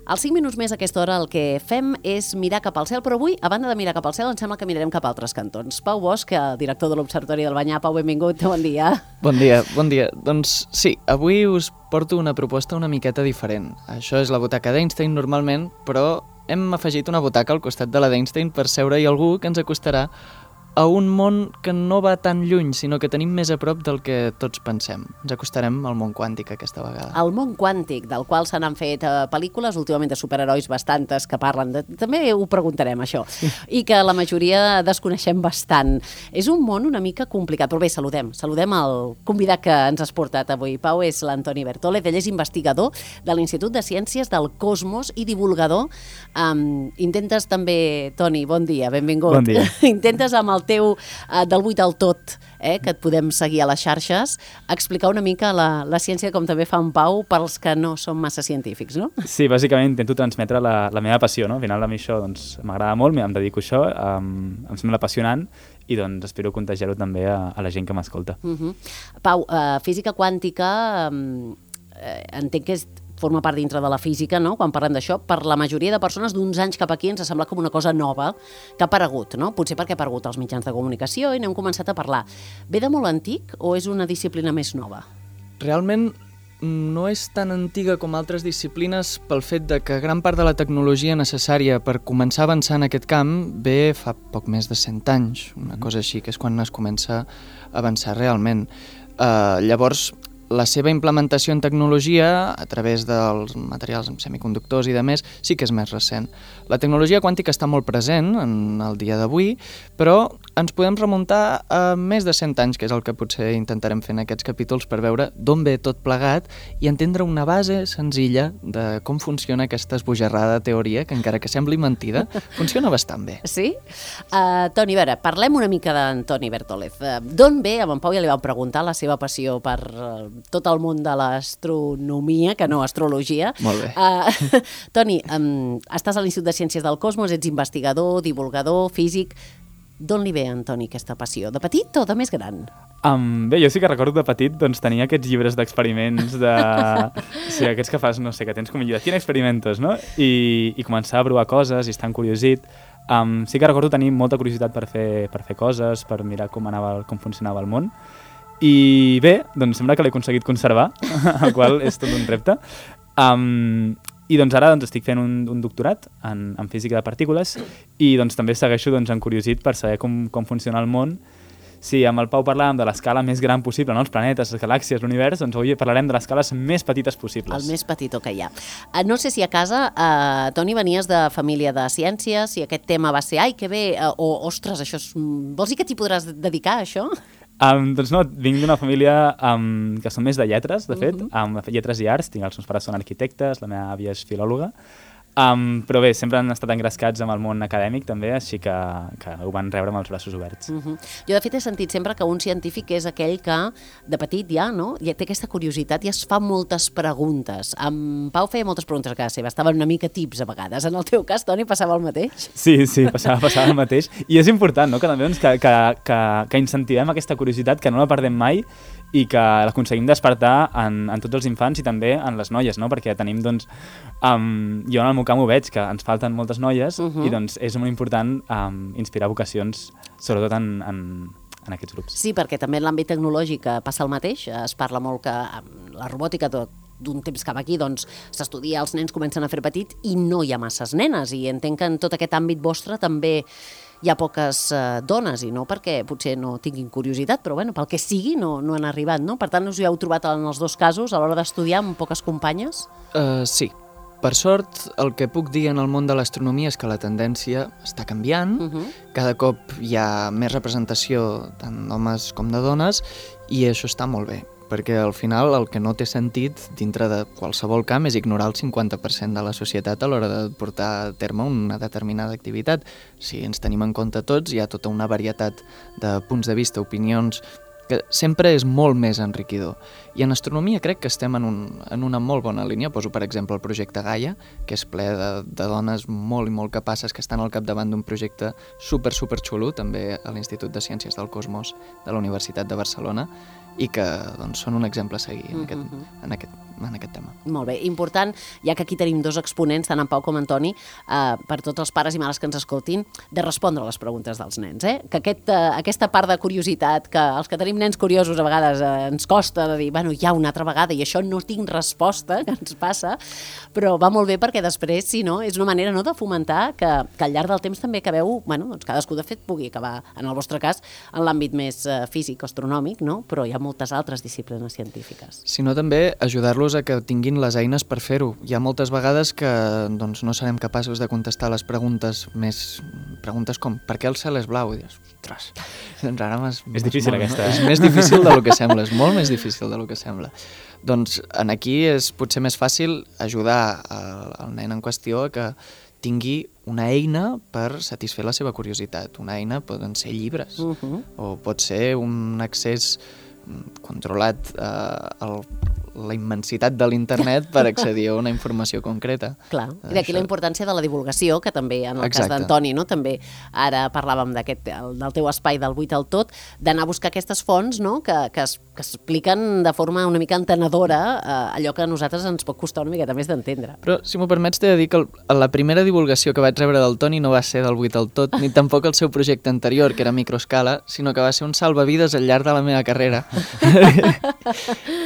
Als 5 minuts més a aquesta hora el que fem és mirar cap al cel, però avui, a banda de mirar cap al cel, em sembla que mirarem cap a altres cantons. Pau Bosch, director de l'Observatori del Banyar. Pau, benvingut, bon dia. Bon dia. Doncs sí, avui us porto una proposta una miqueta diferent. Això és la butaca d'Einstein normalment, però hem afegit una butaca al costat de la d'Einstein per seure-hi algú que ens acostarà a un món que no va tan lluny, sinó que tenim més a prop del que tots pensem. Ens acostarem al món quàntic aquesta vegada. El món quàntic, del qual se n'han fet pel·lícules, últimament de superherois bastantes que parlen de... També ho preguntarem, això. I que la majoria desconeixem bastant. És un món una mica complicat, però bé, saludem el convidat que ens has portat avui. Pau, és l'Antoni Bertólez, ell és investigador de l'Institut de Ciències del Cosmos i divulgador. Intentes també, Toni, bon dia, benvingut. Bon dia. Intentes amb el teu del 8 al tot, que et podem seguir a les xarxes, explicar una mica la ciència com també fa en Pau pels que no som massa científics, no? Sí, bàsicament intento transmetre la meva passió, no? Al final a mi això doncs, m'agrada molt, em dedico a això, em sembla apassionant i doncs espero contagiar-ho també a la gent que m'escolta. Pau, física quàntica entenc que forma part dintre de la física, no? Quan parlem d'això, per la majoria de persones d'uns anys cap aquí ens sembla com una cosa nova que ha aparegut, no? Potser perquè ha aparegut als mitjans de comunicació i n'hem començat a parlar. Ve de molt antic o és una disciplina més nova? Realment no és tan antiga com altres disciplines pel fet de que gran part de la tecnologia necessària per començar a avançar en aquest camp ve fa poc més de 100 anys, una cosa així, que és quan es comença a avançar realment. Llavors, la seva implementació en tecnologia, a través dels materials semiconductors i de més, sí que és més recent. La tecnologia quàntica està molt present en el dia d'avui, però ens podem remuntar a més de 100 anys, que és el que potser intentarem fer en aquests capítols per veure d'on ve tot plegat i entendre una base senzilla de com funciona aquesta esbojarrada teoria, que encara que sembli mentida, funciona bastant bé. Sí? Toni, a veure, parlem una mica d'Antoni Bertólez. D'on ve, a en Pau ja li vam preguntar, la seva passió per tot el món de l'astronomia, que no astrologia. Molt bé. Toni, estàs a l'Institut de Ciències del Cosmos, ets investigador, divulgador, físic. D'on li ve, Antoni, aquesta passió? De petit o de més gran? Bé, jo sí que recordo de petit doncs, tenir aquests llibres d'experiments, sí, aquests que fas, no sé, que tens com llibre, quin experimentos, no? I començar a provar coses i estar encuriosit. Sí que recordo tenir molta curiositat per fer coses, per mirar com funcionava el món. I bé, doncs sembla que l'he aconseguit conservar, el qual és tot un repte. I doncs ara estic fent un doctorat en física de partícules i doncs també segueixo encuriosit per saber com funciona el món. Si amb el Pau parlàvem de l'escala més gran possible, no? Els planetes, les galàxies, l'univers, doncs avui parlarem de les escales més petites possibles. El més petitó que hi ha. No sé si a casa, Toni, venies de família de ciències, si aquest tema va ser, ai, que bé, o, ostres, això és... Vols dir que t'hi podràs dedicar, a això? Doncs no, vinc d'una família que són més de lletres, de fet, lletres i arts. Els meus pares són arquitectes, la meva àvia és filòloga, però bé, sempre han estat engrescats amb el món acadèmic també, així que ho van rebre amb els braços oberts. Jo de fet he sentit sempre que un científic és aquell que de petit ja, no? Ja té aquesta curiositat i es fa moltes preguntes. En Pau feia moltes preguntes a casa seva, estaven una mica tips a vegades. En el teu cas, Toni, passava el mateix? Sí, passava el mateix. I és important, no?, que també que incentivem aquesta curiositat, que no la perdem mai i que l'aconseguim despertar en tots els infants i també en les noies, no? Perquè tenim, doncs, jo en el meu camp ho veig, que ens falten moltes noies i doncs és molt important inspirar vocacions, sobretot en aquests grups. Sí, perquè també en l'àmbit tecnològic passa el mateix, es parla molt que la robòtica d'un temps cap aquí doncs s'estudia, els nens comencen a fer petit i no hi ha masses nenes, i entenc que en tot aquest àmbit vostre també hi ha poques dones, i no perquè potser no tinguin curiositat, però bueno, pel que sigui no han arribat, no? Per tant, us hi heu trobat en els dos casos a l'hora d'estudiar amb poques companyes? Sí. Per sort, el que puc dir en el món de l'astronomia és que la tendència està canviant, cada cop hi ha més representació tant d'homes com de dones i això està molt bé, perquè al final el que no té sentit dintre de qualsevol camp és ignorar el 50% de la societat a l'hora de portar a terme una determinada activitat. Si ens tenim en compte tots, hi ha tota una varietat de punts de vista, opinions, que sempre és molt més enriquidor. I en astronomia crec que estem en una molt bona línia. Poso, per exemple, el projecte Gaia, que és ple de dones molt i molt capaces que estan al capdavant d'un projecte super xulo, també a l'Institut de Ciències del Cosmos de la Universitat de Barcelona. i que doncs, són un exemple a seguir en aquest tema. Molt bé, important, ja que aquí tenim dos exponents, tant en Pau com en Toni, per tots els pares i mares que ens escoltin, de respondre a les preguntes dels nens. Que aquesta part de curiositat, que els que tenim nens curiosos a vegades ens costa de dir, bueno, ja una altra vegada, i això no tinc resposta, que ens passa, però va molt bé perquè després, si no, és una manera de fomentar que al llarg del temps també acabeu, doncs cadascú de fet pugui acabar, en el vostre cas, en l'àmbit més físic o astronòmic, no? Però hi ha moltes altres disciplines científiques. Si no, també ajudar-los a que tinguin les eines per fer-ho. Hi ha moltes vegades que doncs, no serem capaços de contestar les preguntes com per què el cel és blau? I dius, ostres, doncs ara és difícil aquesta, És més difícil del que sembla, és molt més difícil del que sembla. Doncs aquí és potser més fàcil ajudar el nen en qüestió a que tingui una eina per satisfer la seva curiositat. Una eina poden ser llibres o pot ser un accés controlat a la immensitat de l'internet per accedir a una informació concreta. Clar, i d'aquí la importància de la divulgació, que també en el cas d'Antoni, no? També ara parlàvem del teu espai del 8 al tot, d'anar a buscar aquestes fonts, no? que expliquen de forma una mica entenedora allò que a nosaltres ens pot costar una miqueta més d'entendre. Però, si m'ho permets, t'he de dir que la primera divulgació que vaig rebre del Toni no va ser del 8 al tot, ni tampoc el seu projecte anterior, que era Microescala, sinó que va ser un salvavides al llarg de la meva carrera.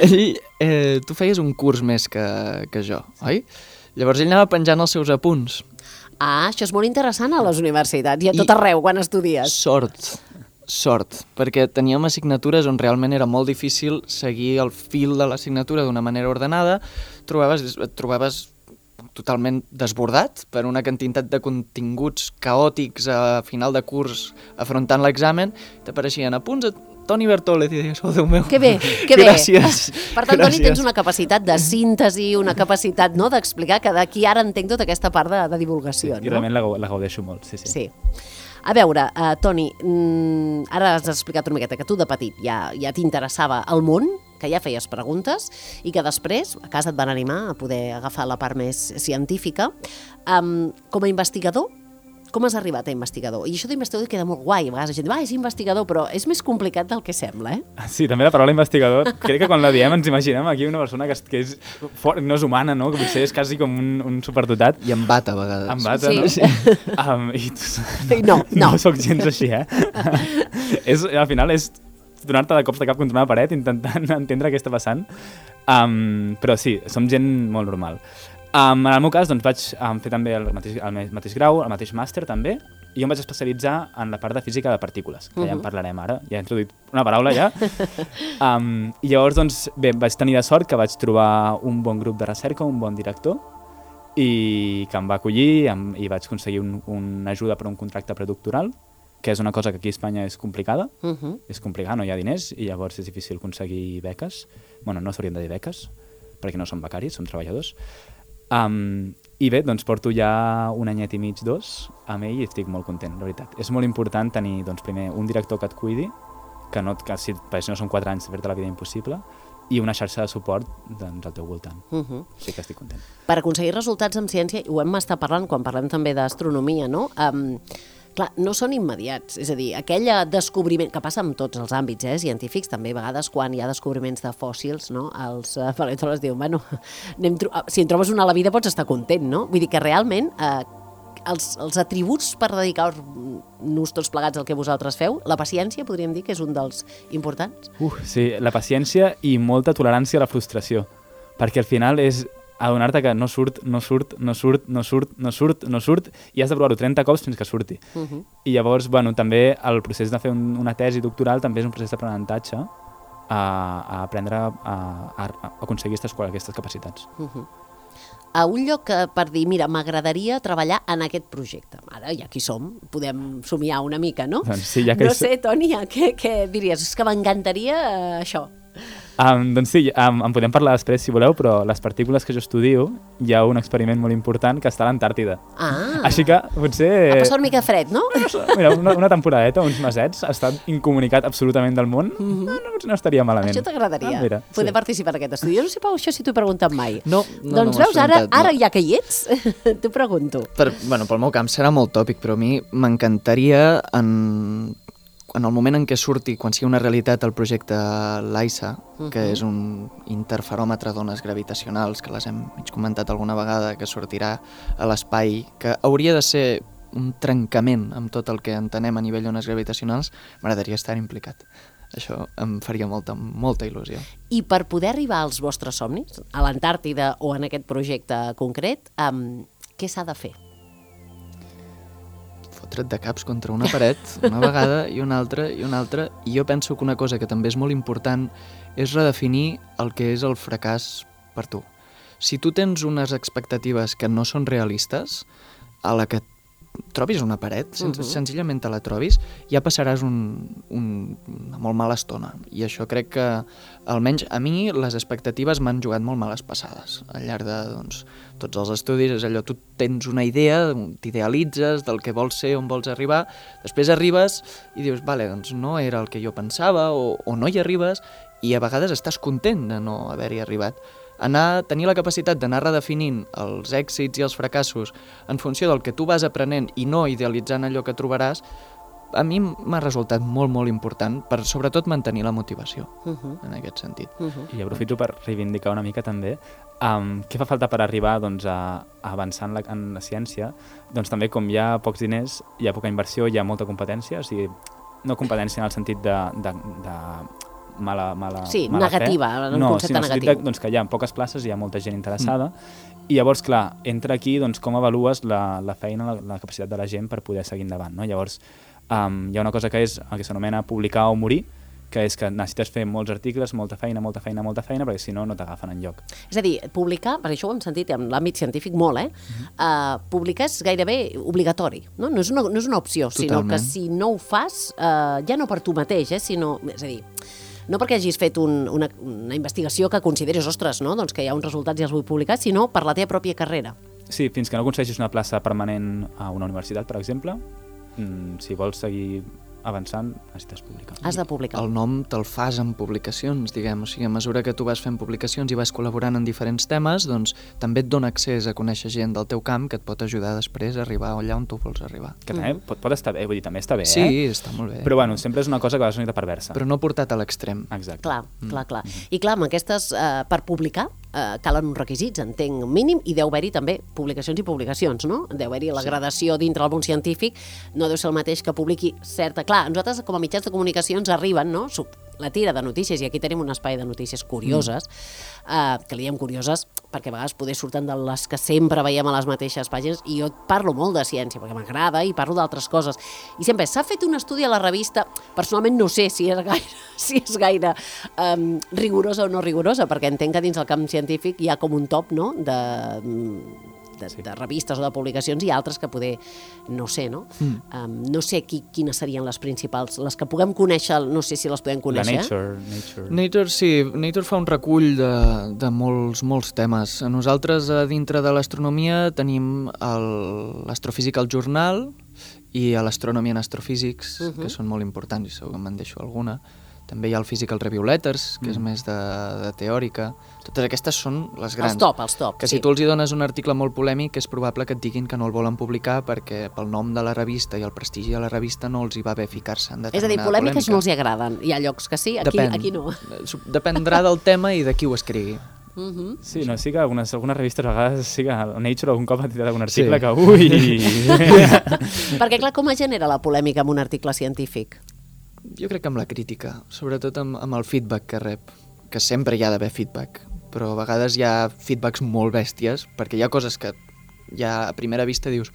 I tu feies un curs més que jo, oi? Llavors ell anava penjant els seus apunts. Això és molt interessant a les universitats i a tot arreu quan estudies. Sort, perquè teníem assignatures on realment era molt difícil seguir el fil de l'assignatura d'una manera ordenada, et trobaves totalment desbordat per una quantitat de continguts caòtics a final de curs afrontant l'examen, t'apareixien apunts a Toni Bertòlez i deies, oh Déu meu, que bé. Gràcies. Per tant, Toni, tens una capacitat de síntesi, una capacitat d'explicar que d'aquí ara entenc tota aquesta part de divulgació. I realment la gaudeixo molt, sí. A veure, Toni, ara has explicat una miqueta que tu de petit ja t'interessava el món, que ja feies preguntes i que després a casa et van animar a poder agafar la part més científica. Com a investigador, com has arribat a investigador? I això d'investigador queda molt guai, a vegades la gent diu, és investigador, però és més complicat del que sembla, Sí, també la paraula investigador, crec que quan la diem ens imaginem aquí una persona que no és humana, no? Que potser és quasi com un superdotat. I em bata a vegades. Em bata, no? Sí. No soc gens així, Al final és donar-te de cops de cap contra una paret intentant entendre què està passant. Però sí, som gent molt normal. En el meu cas, doncs, vaig fer també el mateix grau, el mateix màster també, i jo em vaig especialitzar en la part de física de partícules, que ja en parlarem ara, ja he introduït una paraula ja. I llavors, doncs, bé, vaig tenir de sort que vaig trobar un bon grup de recerca, un bon director, i que em va acollir i vaig aconseguir una ajuda per un contracte predoctoral, que és una cosa que aquí a Espanya és complicada, és complicat, no hi ha diners, i llavors és difícil aconseguir beques. Bueno, no s'haurien de dir beques, perquè no som becaris, som treballadors. I bé, doncs porto ja un anyet i mig, 2 amb ell i estic molt content, la veritat. És molt important tenir, doncs, primer un director que et cuidi, que si no són 4 anys de fer-te la vida impossible, i una xarxa de suport doncs, al teu voltant. Sí que estic content. Per aconseguir resultats en ciència, ho hem estat parlant quan parlem també d'astronomia, no? Clar, no són immediats, és a dir, aquell descobriment, que passa en tots els àmbits científics, també a vegades quan hi ha descobriments de fòssils, no? Els paleontòlegs diuen, bueno, si en trobes una a la vida pots estar content, no? Vull dir que realment els atributs per dedicar-nos tots plegats al que vosaltres feu, la paciència podríem dir que és un dels importants? Sí, la paciència i molta tolerància a la frustració, perquè al final és adonar-te que no surt, i has de provar-ho 30 cops fins que surti. I llavors, bueno, també el procés de fer una tesi doctoral també és un procés d'aprenentatge a aprendre a aconseguir aquestes capacitats. A un lloc per dir, mira, m'agradaria treballar en aquest projecte. Ara, ja aquí som, podem somiar una mica, no? Doncs sí, ja que no sé, Toni, què diries? És que m'encantaria això. Doncs sí, en podem parlar després si voleu, però les partícules que jo estudio hi ha un experiment molt important que està a l'Antàrtida. Així que potser... Ha passat una mica fred, no? Mira, una temporadeta, uns mesets, ha estat incomunicat absolutament del món, no estaria malament. Això t'agradaria, poder participar en aquest estudi. Jo no sé, Pau, això si t'ho he preguntat mai. No, doncs veus, ara ja que hi ets, t'ho pregunto. Pel meu camp serà molt tòpic, però a mi m'encantaria en el moment en què surti, quan sigui una realitat el projecte LISA, que és un interferòmetre d'ones gravitacionals, que les hem mig comentat alguna vegada, que sortirà a l'espai, que hauria de ser un trencament amb tot el que entenem a nivell d'ones gravitacionals, m'agradaria estar implicat. Això em faria molta il·lusió. I per poder arribar als vostres somnis, a l'Antàrtida o en aquest projecte concret, què s'ha de fer? Fotre't de caps contra una paret, una vegada i una altra i una altra, i jo penso que una cosa que també és molt important és redefinir el que és el fracàs per tu. Si tu tens unes expectatives que no són realistes, a la que trobis una paret, senzillament te la trobis, ja passaràs una molt mala estona. I això crec que, almenys a mi, les expectatives m'han jugat molt males passades. Al llarg de tots els estudis és allò, tu tens una idea, t'idealitzes del que vols ser, on vols arribar, després arribes i dius, vale, doncs no era el que jo pensava, o no hi arribes, i a vegades estàs content de no haver-hi arribat. Tenir la capacitat d'anar redefinint els èxits i els fracassos en funció del que tu vas aprenent i no idealitzant allò que trobaràs, a mi m'ha resultat molt, molt important per sobretot mantenir la motivació en aquest sentit. I aprofito per reivindicar una mica també què fa falta per arribar a avançar en la ciència. Doncs també com hi ha pocs diners, hi ha poca inversió, hi ha molta competència, o sigui, no competència en el sentit de mala negativa, fe. en un concepte negatiu. Que hi ha poques places, hi ha molta gent interessada, i llavors, clar, entra aquí com avalues la feina, la capacitat de la gent per poder seguir endavant, no? Llavors, hi ha una cosa que s'anomena publicar o morir, que és que necessites fer molts articles, molta feina, perquè si no, no t'agafen enlloc. És a dir, publicar, per això ho hem sentit en l'àmbit científic molt, publicar és gairebé obligatori, no? No és una opció, sinó que si no ho fas, ja no per tu mateix, sinó, és a dir, no perquè hagis fet una investigació que consideris, ostres, no? Doncs que hi ha uns resultats i els vull publicar, sinó per la teva pròpia carrera. Sí, fins que no aconsegueixis una plaça permanent a una universitat, per exemple, si vols seguir avançant, necessites publicar. Has de publicar. El nom te'l fas en publicacions, diguem. O sigui, a mesura que tu vas fent publicacions i vas col·laborant en diferents temes, doncs també et dona accés a conèixer gent del teu camp que et pot ajudar després a arribar allà on tu vols arribar. Que també pot estar bé, vull dir, també està bé, Sí, està molt bé. Però bueno, sempre és una cosa que va ser una mica perversa. Però no portat a l'extrem. Exacte. Clar. I clar, amb aquestes, per publicar, calen uns requisits, entenc, mínim, i deu haver-hi també publicacions i publicacions, no? Deu haver-hi la gradació dintre del món científic, no deu ser el mateix que publiqui certa... Clar, nosaltres com a mitjans de comunicació ens arriben, no?, la tira de notícies, i aquí tenim un espai de notícies curioses, que li diem curioses perquè a vegades poder surten de les que sempre veiem a les mateixes pàgines, i jo parlo molt de ciència perquè m'agrada i parlo d'altres coses, i sempre s'ha fet un estudi a la revista, personalment no sé si és gaire rigorosa o no rigorosa, perquè entenc que dins el camp científic hi ha com un top, no?, de revistes o de publicacions, i altres que poder, no sé, no? No sé quines serien les principals, les que puguem conèixer, no sé si les podem conèixer. Nature, sí, Nature fa un recull de molts temes. Nosaltres, dintre de l'astronomia, tenim l'Astrophysical Journal i l'Astronomy and Astrophysics, que són molt importants, i segur que me'n deixo alguna. També hi ha el Physical Review Letters, que és més de teòrica. Totes aquestes són les grans. Els top, que si tu els hi dones un article molt polèmic, és probable que et diguin que no el volen publicar perquè pel nom de la revista i el prestigi de la revista no els hi va bé ficar-se en determinada polèmica. És a dir, polèmiques no els hi agraden. Hi ha llocs que sí, aquí no. Dependrà del tema i de qui ho escrigui. Sí, no, sí que algunes revistes a vegades sí que Nature algun cop ha tirat algun article que ui... Perquè clar, com es genera la polèmica amb un article científic? Jo crec que amb la crítica, sobretot amb el feedback que rep, que sempre hi ha d'haver feedback, però a vegades hi ha feedbacks molt bèsties, perquè hi ha coses que ja a primera vista dius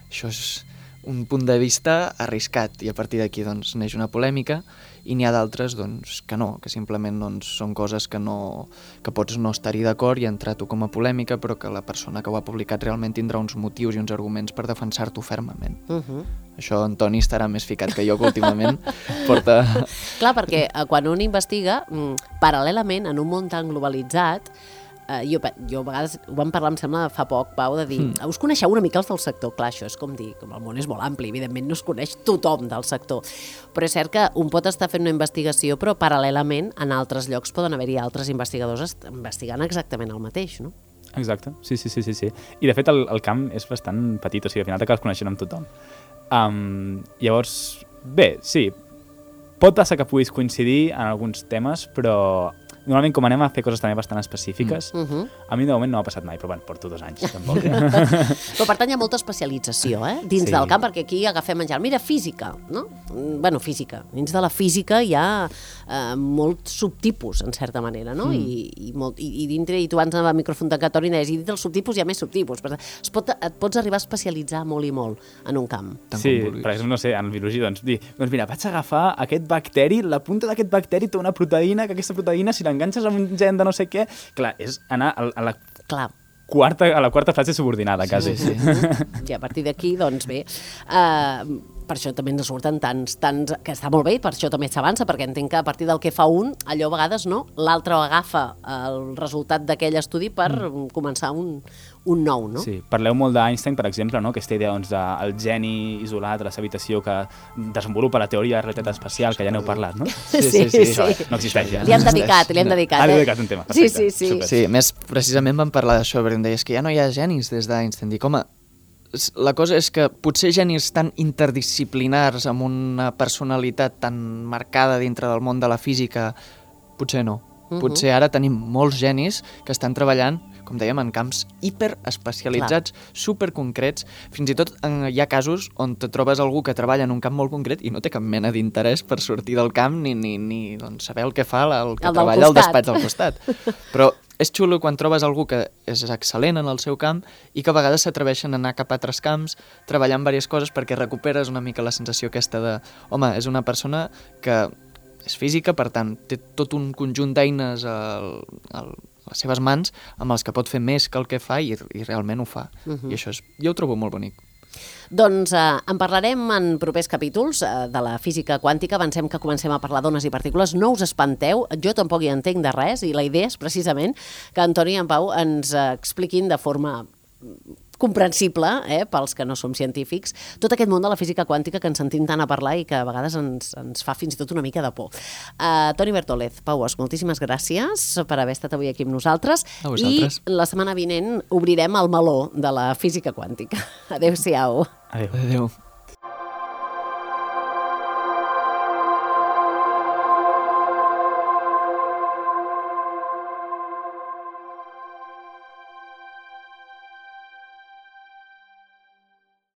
això és un punt de vista arriscat, i a partir d'aquí doncs, neix una polèmica, i n'hi ha d'altres doncs, que no, que simplement doncs, són coses que pots no estar-hi d'acord i entrar tu com a polèmica, però que la persona que ho ha publicat realment tindrà uns motius i uns arguments per defensar-t'ho fermament. Això en Toni estarà més ficat que jo, que últimament porta... Clar, perquè quan un investiga, paral·lelament, en un món tan globalitzat, jo a vegades ho vam parlar, em sembla, fa poc, Pau, de dir, us coneixeu una mica els del sector? Clar, això és com dir, com el món és molt ampli, evidentment no es coneix tothom del sector, però és cert que un pot estar fent una investigació, però paral·lelament en altres llocs poden haver-hi altres investigadors investigant exactament el mateix, no? Exacte, sí. I de fet el camp és bastant petit, o sigui, al final t'acabes coneixent amb tothom. Llavors, Bé, sí. Pot passar que puguis coincidir en alguns temes, però normalment com anem a fer coses també bastant específiques, a mi de moment no m'ha passat mai, però bueno, porto 2 anys, tampoc. Però per tant hi ha molta especialització, dins del camp, perquè aquí agafem menjar. Mira, física, no? Bueno, física. Dins de la física hi ha molts subtipus, en certa manera, no? I dintre, i tu abans a microfontacatori deies, i dintre dels subtipus hi ha més subtipus. Et pots arribar a especialitzar molt i molt en un camp. Sí, per exemple, no sé, en biologia, doncs mira, vaig agafar aquest bacteri, la punta d'aquest bacteri té una proteïna, que aquesta proteïna, si l'enganxes amb un gen de no sé què... Clar, és anar a la quarta fase subordinada, quasi. Sí. I a partir d'aquí, doncs bé, per això també ens surten tants, que està molt bé, i per això també s'avança, perquè entenc que a partir del que fa un, allò a vegades no, l'altre agafa el resultat d'aquell estudi per començar un nou, no? Sí, parleu molt d'Einstein, per exemple, no? Aquesta idea doncs, del geni isolat a la seva habitació que desenvolupa la teoria de realitat espacial, que ja n'heu parlat, no? Sí. Això no existeix ja. Li hem dedicat. Li hem dedicat un tema, perfecte. Sí, més precisament vam parlar d'això, perquè em deies que ja no hi ha genis des d'Einstein. Dic, home, la cosa és que potser genis tan interdisciplinars amb una personalitat tan marcada dintre del món de la física, potser no. Potser ara tenim molts genis que estan treballant, com dèiem, en camps hiperespecialitzats, superconcrets. Fins i tot hi ha casos on te trobes algú que treballa en un camp molt concret i no té cap mena d'interès per sortir del camp ni doncs, saber el que fa el que treballa al despatx del costat. Però és xulo quan trobes algú que és excel·lent en el seu camp i que a vegades s'atreveixen a anar cap a altres camps, treballar en diverses coses perquè recuperes una mica la sensació aquesta de home, és una persona que és física, per tant, té tot un conjunt d'eines a les seves mans amb els que pot fer més que el que fa i realment ho fa. I això jo ho trobo molt bonic. Doncs en parlarem en propers capítols de la física quàntica. Avancem que comencem a parlar d'ones i partícules. No us espanteu, jo tampoc hi entenc de res i la idea és precisament que Antoni i en Pau ens expliquin de forma comprensible, pels que no som científics, tot aquest món de la física quàntica que ens sentim tant a parlar i que a vegades ens fa fins i tot una mica de por. Toni Bertòlez, Paues, moltíssimes gràcies per haver estat avui aquí amb nosaltres. A vosaltres. I la setmana vinent obrirem el meló de la física quàntica. Adéu-siau. Adéu. Adéu.